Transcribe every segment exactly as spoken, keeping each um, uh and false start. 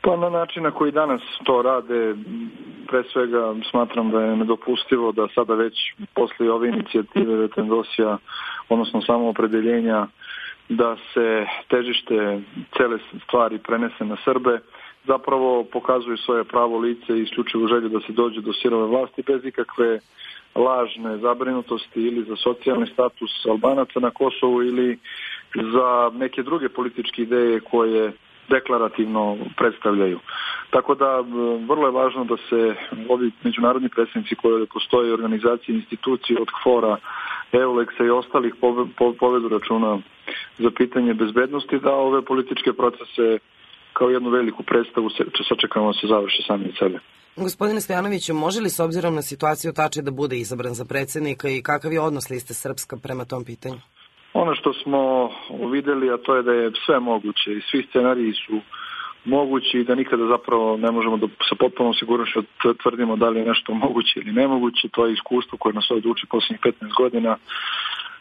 Pa na način na koji danas to rade, pre svega smatram da je nedopustivo da sada već posle ove inicijative Vetendosija, odnosno samoopredeljenja, da se težište cele stvari prenese na Srbe, zapravo pokazuju svoje pravo lice i isključivu želju da se dođe do sirove vlasti bez ikakve lažne zabrinutosti ili za socijalni status Albanaca na Kosovu ili za neke druge političke ideje koje deklarativno predstavljaju. Tako da vrlo je važno da se ovi međunarodni predstavnici koje postoje, organizacije, institucije od KFOR-a, EULEX-a i ostalih povedu računa za pitanje bezbednosti, da ove političke procese kao jednu veliku predstavu sačekamo da se završe sami od sebe. Gospodine Stojanoviću, može li s obzirom na situaciju Tači da bude izabran za predsjednika i kakav je odnos Liste Srpska prema tom pitanju? Ono što smo videli, a to je da je sve moguće i svi scenariji su mogući i da nikada zapravo ne možemo da sa potpunom sigurnošću tvrdimo da li je nešto moguće ili nemoguće. To je iskustvo koje nas ovdje uči posljednjih petnaest godina.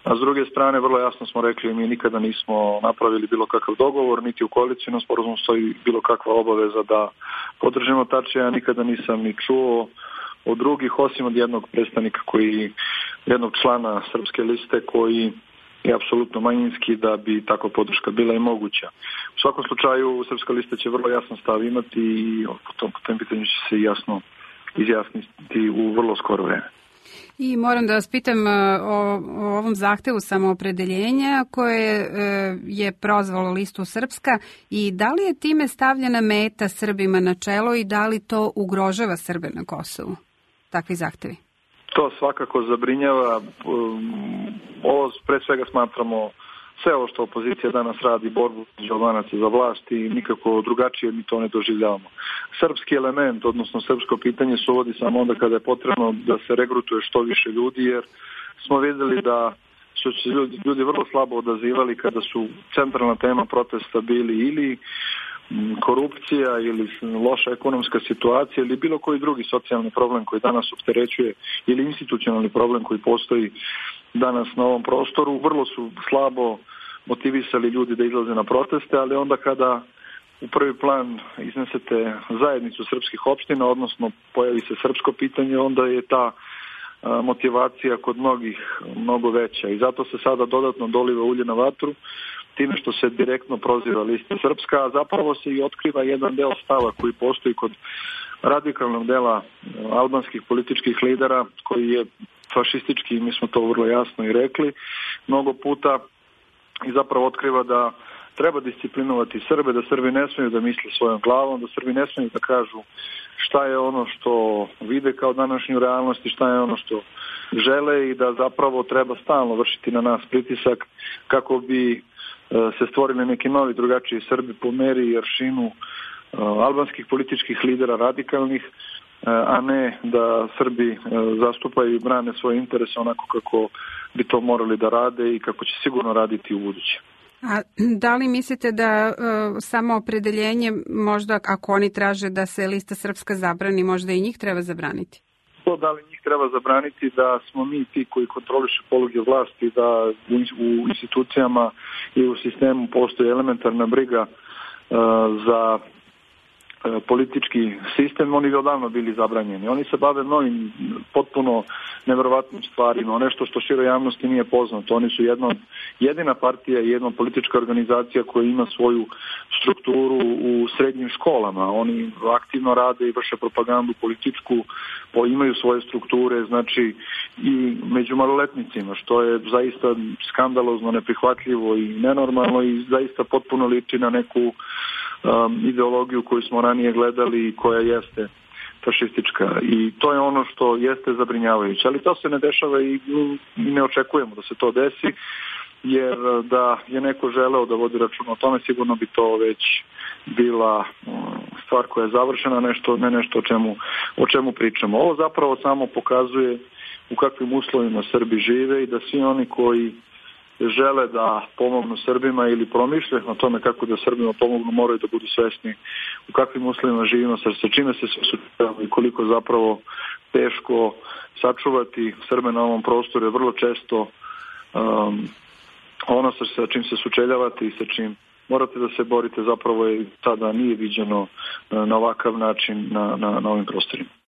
A s druge strane, vrlo jasno smo rekli, mi nikada nismo napravili bilo kakav dogovor, niti u koalicijnom sporazumu stoji bilo kakva obaveza da podržimo Tačija. Ja nikada nisam ni čuo od drugih, osim od jednog predstavnika koji, jednog člana Srpske liste koji je apsolutno manjinski, da bi takva podrška bila i moguća. U svakom slučaju, Srpska lista će vrlo jasan stav imati i po tom, po tom pitanju će se jasno izjasniti u vrlo skoro vreme. I moram da vas pitam o, o ovom zahtevu samoopredeljenja koje je prozvalo Listu Srpska i da li je time stavljena meta Srbima na čelo i da li to ugrožava Srbe na Kosovu? Takvi zahtevi. To svakako zabrinjava. Ovo pre svega smatramo sve ovo što opozicija danas radi, borbu za Albanaca za vlast i nikako drugačije mi to ne doživljavamo. Srpski element, odnosno srpsko pitanje se uvodi samo onda kada je potrebno da se regrutuje što više ljudi, jer smo videli da su se ljudi, ljudi vrlo slabo odazivali kada su centralna tema protesta bili ili korupcija ili loša ekonomska situacija ili bilo koji drugi socijalni problem koji danas opterećuje ili institucionalni problem koji postoji danas na ovom prostoru. Vrlo su slabo motivisali ljudi da izlaze na proteste, ali onda kada u prvi plan iznesete zajednicu srpskih opština, odnosno pojavi se srpsko pitanje, onda je ta motivacija kod mnogih mnogo veća i zato se sada dodatno doliva ulje na vatru time što se direktno proziva Lista Srpska, a zapravo se i otkriva jedan deo stava koji postoji kod radikalnog dela albanskih političkih lidera koji je fašistički, mi smo to vrlo jasno i rekli mnogo puta, i zapravo otkriva da treba disciplinovati Srbe, da Srbi ne smiju da misle svojom glavom, da Srbi ne smiju da kažu šta je ono što vide kao današnju realnost i šta je ono što žele i da zapravo treba stalno vršiti na nas pritisak kako bi se stvorili neki novi drugačiji Srbi po meri i aršinu albanskih političkih lidera radikalnih, a ne da Srbi zastupaju i brane svoje interese onako kako bi to morali da rade i kako će sigurno raditi u buduće. A da li mislite da uh, samo opredeljenje, možda ako oni traže da se Lista Srpska zabrani, možda i njih treba zabraniti? To da li njih treba zabraniti, da smo mi ti koji kontrolišu poluge vlasti, da u, u institucijama i u sistemu postoji elementarna briga uh, za politički sistem, oni bi odavno bili zabranjeni. Oni se bave mnogim potpuno neverovatnim stvarima, nešto što široj javnosti nije poznato. Oni su jedna, jedina partija i jedna politička organizacija koja ima svoju strukturu u srednjim školama. Oni aktivno rade i vrše propagandu političku, imaju svoje strukture, znači i među maloletnicima, što je zaista skandalozno, neprihvatljivo i nenormalno i zaista potpuno liči na neku Um, ideologiju koju smo ranije gledali i koja jeste fašistička i to je ono što jeste zabrinjavajuće, ali to se ne dešava i ne očekujemo da se to desi, jer da je neko želeo da vodi račun o tome, sigurno bi to već bila stvar koja je završena, nešto, ne nešto o čemu, o čemu pričamo. Ovo zapravo samo pokazuje u kakvim uslovima Srbi žive i da svi oni koji žele da pomognu Srbima ili promišljaju na tome kako da Srbima pomognu, moraju da budu svesni u kakvim uslovima živimo, sa čime se suočavamo i koliko zapravo teško sačuvati Srbe na ovom prostoru je vrlo često um, ono sa čim se sučeljavate i sa čim morate da se borite, zapravo je tada nije viđeno na ovakav način na, na, na ovim prostorima.